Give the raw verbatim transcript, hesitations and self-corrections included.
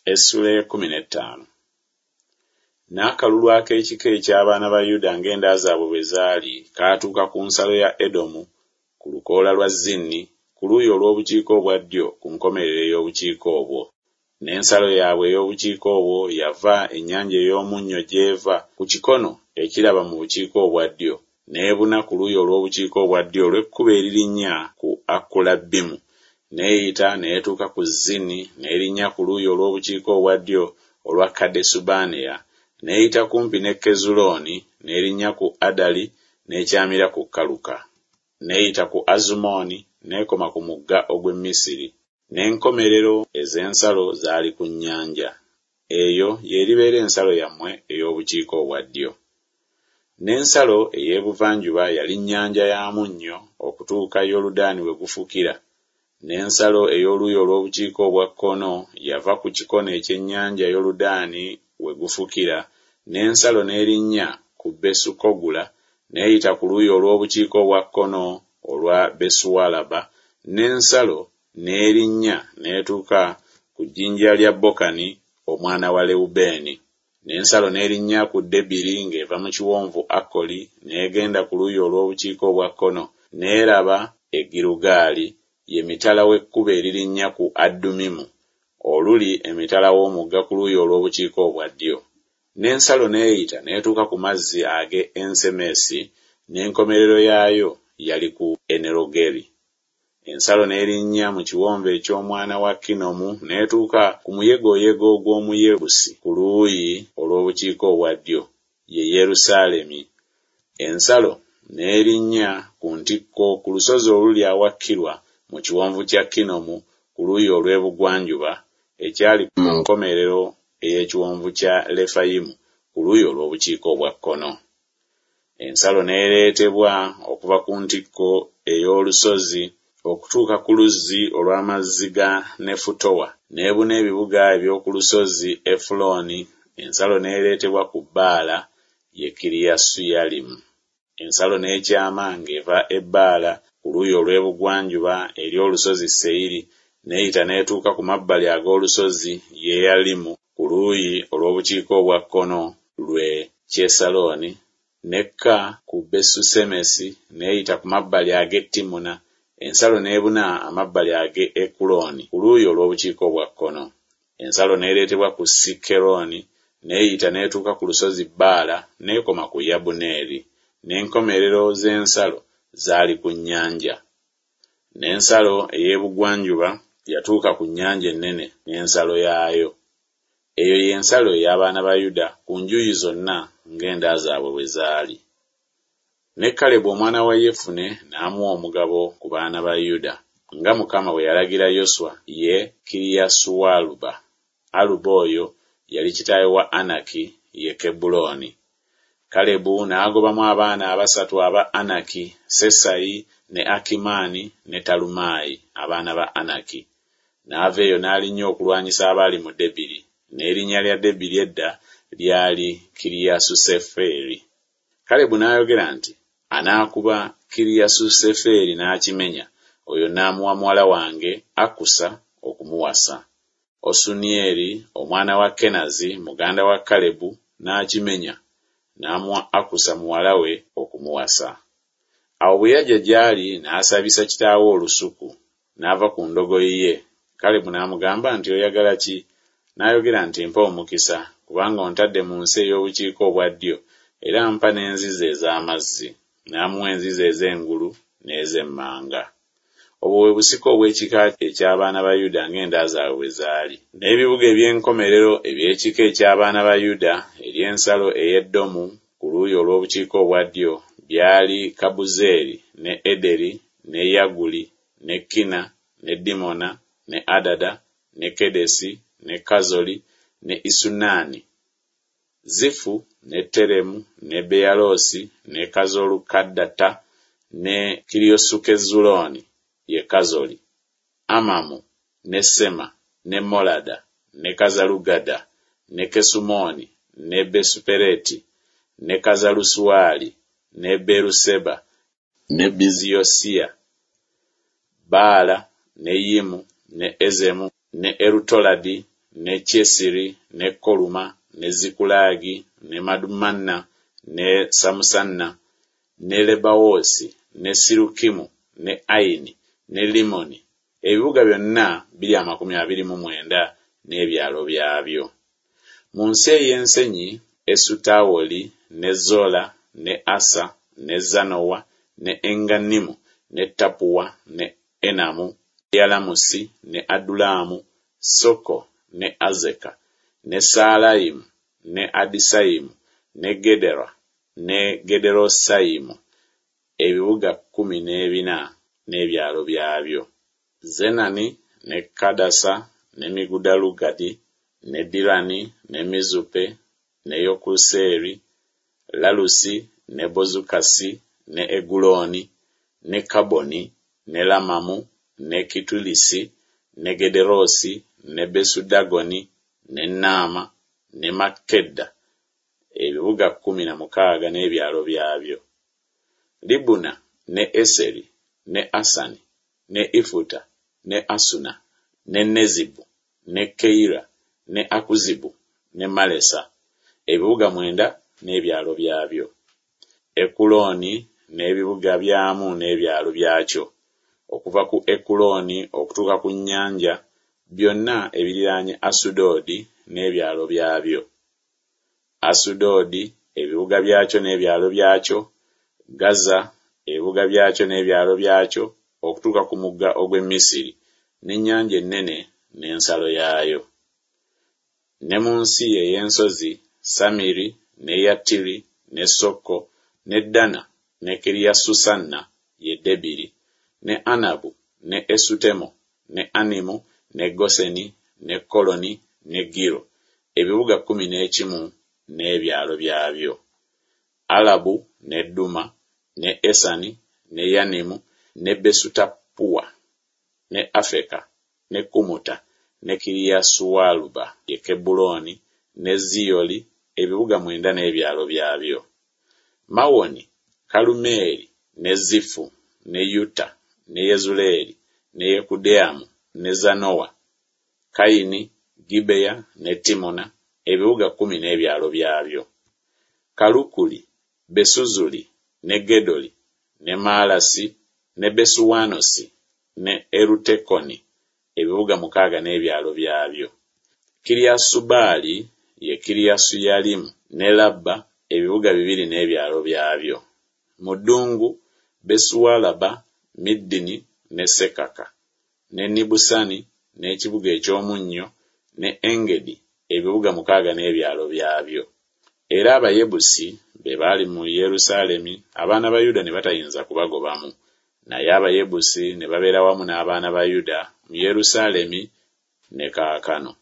Essula ey'ekkumi n'ettaano. N'akalulu ak'ekika eky'abaana ba Yuda ng'enda zaabwe bwe zaali kaatuuka ku nsalo ya Edomu ku lukoola lwa Zini ku luuyi olw'obukiika obwa ddyo ku nkomerero ey'obukiika obwo. N'ensalo yaabwe ey'obukiika obwo yava ennyanja ey'omunnyo gy'eva ku kikono ekiraba mu bukiika obwa ddyo, n'ebuna ku luuyi olw'obukiika obwa ddyo olw'ekkubo eririnnya ku Akulabbimu, n'eyita n'etuuka ku Zini, n'erinnya ku luuyi olw'obukiika obwa ddyo olwa Kadesubanea, n'eyita kumpi ne Kezulooni, n'erinnya ku Adali, n'ekyamira ku Kaluka. N'eyita ku Azumooni, n'ekoma ku mugga ogw'e Misiri. N'enkomerero ez'ensalo zaali ku nnyanja. Eyo y'eribeera ensalo yammwe ey'obukiika obwa ddyo. N'ensalo ey'ebuvanjuba yali nnyanja ya munnyo okutuuka Yoludaani we gufukira. N'ensalo ey'oluuyi olw'obukiika obwa kkono yava ku kikono eky'ennyanja Yoludaani we gufukira, n'ensalo n'erinnya ku Besukogula, n'eyita ku luuyi olw'obukiika obwa kkono olwa Besualaba, n'ensalo n'erinnya n'etuuka ku jjinja lya Bokani omwana wa Lewubeeni. N'ensalo n'erinnya ku Debiri ng'eva mu kiwonvu Akoli, n'egenda ku luuyi olw'obukiika obwa kkono, n'eraba e Girugaali, ye mitala w'ekkubo eririnnya ku Addumimu, oluli emitala w'omugga ku luuyi olw'obukiika obwa ddyo. N'ensalo n'eyita n'etuuka ku mazzi ag'e Ensemesi, n'enkomerero yaayo yali ku Enerogeri. Ensalo n'erinnya mu kiwonvu eky'omwana wa Kinomu n'etuuka ku muyegoyego gw'Omuyebusi ku luuyi olw'obukiika obwa ddyo, ye Yerusaalemi. Ensalo n'erinnya ku ntikko ku lusozi oluli awakkirwa mu kiwonvu kya Kinomu ku luuyi olw'ebugwanjuba, ekyali mu nkomerero ey'ekiwonvu kya Lefayimu ku luuyi olw'obukiika obwa kkono. Ensalo n'ereetebwa okuva ku ntikko ey'olusozi okutuuka ku luzzi olw'amazzi ga Nefutowa, n'ebuna ebibuga eby'oku lusozi Efulooni. Ensalo n'ereetebwa ku Baala, ye Kiriyasuyalimu. Ensalo n'ekyama ng'eva e Baala ku luuyi olw'ebugwanjuba eri olusozi Seyiri, n'eyita n'etuuka ku mabbali ag'olusozi Yeyalimu ku luuyi olw'obukiika obwa kkono lwe Kyesalooni, n'ekka ku Besusemesi, n'eyita ku mabbali ag'e Timuna. Ensalo n'ebuna amabbali ag'e Ekulooni ku luuyi olw'obukiika obwa kkono. Ensalo n'ereetebwa ku Sikkeroni, n'eyita n'etuuka ku lusozi Baala, n'ekoma ku Yabuneeri. N'enkomerero z'ensalo zaali ku nnyanja. N'ensalo ey'ebugwanjuba yatuuka ku nnyanja ennene n'ensalo yaayo. Eyo y'ensalo ey'abaana ba Yuda ku njuyi zonna ng'enda zaabwe bwe zaali. Ne Kalebu omwana wa Yefune n'amuwa omugabo ku baana ba Yuda, nga Mukama bwe yalagira Yoswa, ye Kiriyasualuba. Aluba oyo yali kitaawe wa Anaki, ye Kebbulooni. Kalebu n'agobamu abaana abasatu aba Anaki, Sesayi ne Akimaani ne Talumaayi, abaana ba Anaki. N'ava eyo n'alinnya okulwanyisa abaali mu Debiri, n'erinnya lya Debiri edda lyali Kiriyasuseferi. Kalebu n'ayogera nti, Anaakuba Kiriyasuseferi n'akimenya, oyo n'amuwa muwala wange Akusa okumuwasa. Osunieri omwana wa Kenazi muganda wa Kalebu n'akimenya, n'amuwa Akusa muwala we okumuwasa. Awo bwe yajja gy'ali n'asabisa kitaawe olusuku, n'ava ku ndogoyi ye. Kalebu n'amugamba nti, Oyagala ki? N'ayogera nti, Mpa omukisa, kubanga ontadde mu nsi ey'obukiika obwa ddyo, era mpa n'enzizi ez'amazzi. N'amuwa enzizi ez'engulu n'ez'emmanga. Obwo bwe busika obw'ekika eky'abaana ba Yuda ng'enda zaabwe bwe zaali. N'ebibuga eby'enkomerero eby'ekika eky'abaana ba Yuda ery'ensalo ey'Edomu ku luuyi olw'obukiika obwa ddyo byali Kabuzeeri ne Ederi ne Yaguli ne Kina ne Dimona ne Adada ne Kedesi ne Kazoli ne Isunaani, Zifu ne Teremu ne Beyaloosi ne Kazolukaddata ne Kiriyosukezulooni ye Kazoli, Amamu ne Sema ne Molada ne Kazalugada ne Kesumooni ne Besupereti ne Kazalusuwali ne Beruseba ne Biziyosiya, Baala ne Yimu ne Ezemu ne Erutoladi ne Kyesiri, ne Koluma, ne Zikulagi, ne Madumanna, ne Samusanna, ne Lebawoosi, ne Sirukimu, ne Ayini, ne Limoni, ebibuga byonna biri amakumi abiri mu mwenda n'ebyalo byabyo. Mu nsi ey'ensenyi, Esutawoli, ne Zola, ne Asa, ne Zanowa, ne Engannimu, ne Tapuwa, ne Enamu, Yalamusi, ne Adulamu, Soko, ne Azeka, ne Saalayimu, ne Adisayimu, ne Gedera, ne Gederosayimu, ebibuga kkumi n'ebina n'ebyalo byabyo. Zenani, ne Kadasa, ne Migudalugadi, ne Dirani, ne Mizupe, ne Yokuseeri, Lalusi, ne Bozukasi, ne Egulooni, ne Kaboni, ne Lamamu, ne Kitulisi, ne Gederosi, ne Besudagoni, ne Naama, ne Makkeda, ebibuga kkumi na mukaaga n'ebyalo byabyo. Libuna, ne Eseri, ne Asani, ne Ifuta, ne Asuna, ne Nezibu, ne Keira, ne Akuzibu, ne Malesa, ebibuga mwenda n'ebyalo byabyo. Ekulooni n'ebibuga byamu n'ebyalo byakyo, okuva ku Ekulooni okutuuka ku nnyanja, byonna ebiriraanye Asudodi n'ebyalo byabyo. Asudodi, ebibuga byakyo n'ebyalo byakyo, Gaza, ebibuga byakyo n'ebyalo byakyo, okutuuka ku mugga ogw'e Misiri, n'ennyanja ennene n'ensalo yaayo. Ne mu nsi ey'ensozi, Samiri, ne Yattiri, ne Soko, ne Dana, ne Kiriasusanna, ye Debiri, ne Anabu, ne Esutemo, ne Animu, ne Goseni, ne Koloni, ne Giro, ebibuga kkumi n'ekimu n'ebyalo byabyo. Alabu, ne Duma, ne Esani, ne Yanimu, ne Besutapuwa, ne Afeka, ne Kumuta, ne Kiriyasualuba, ye Kebbulooni, ne Ziyoli, ebibuga mwenda n'ebyalo byabyo. Mawoni, Kalumeeri, ne Zifu, ne Yuta, ne Yezuleeri, ne Yekudeamu, ne Zanowa, Kayini, Gibeya ne Timuna, ebibuga kkumi n'ebyalo byabyo. Kalukuli, Besuzuli, ne Gedoli, ne Maalasi, ne Besuwanosi, ne Erutekoni, ebibuga mukaaga n'ebyalo byabyo. Kiriyasubaali, ye Kiriyasuyalimu, ne Labba, ebibuga bibiri n'ebyalo byabyo. Mu ddungu, Besuwalaba, Middini ne Sekaka, ne Nibusani, n'ekibuga eky'omunnyo, ne Engedi, ebibuga mukaaga n'ebyalo byabyo. Era Abayebusi be baali mu Yerusaalemi, abaana ba Yuda ne batayinza kubagobamu. Naye Abayebusi ne babeera wamu n'abaana ba Yuda mu Yerusaalemi ne kaakano.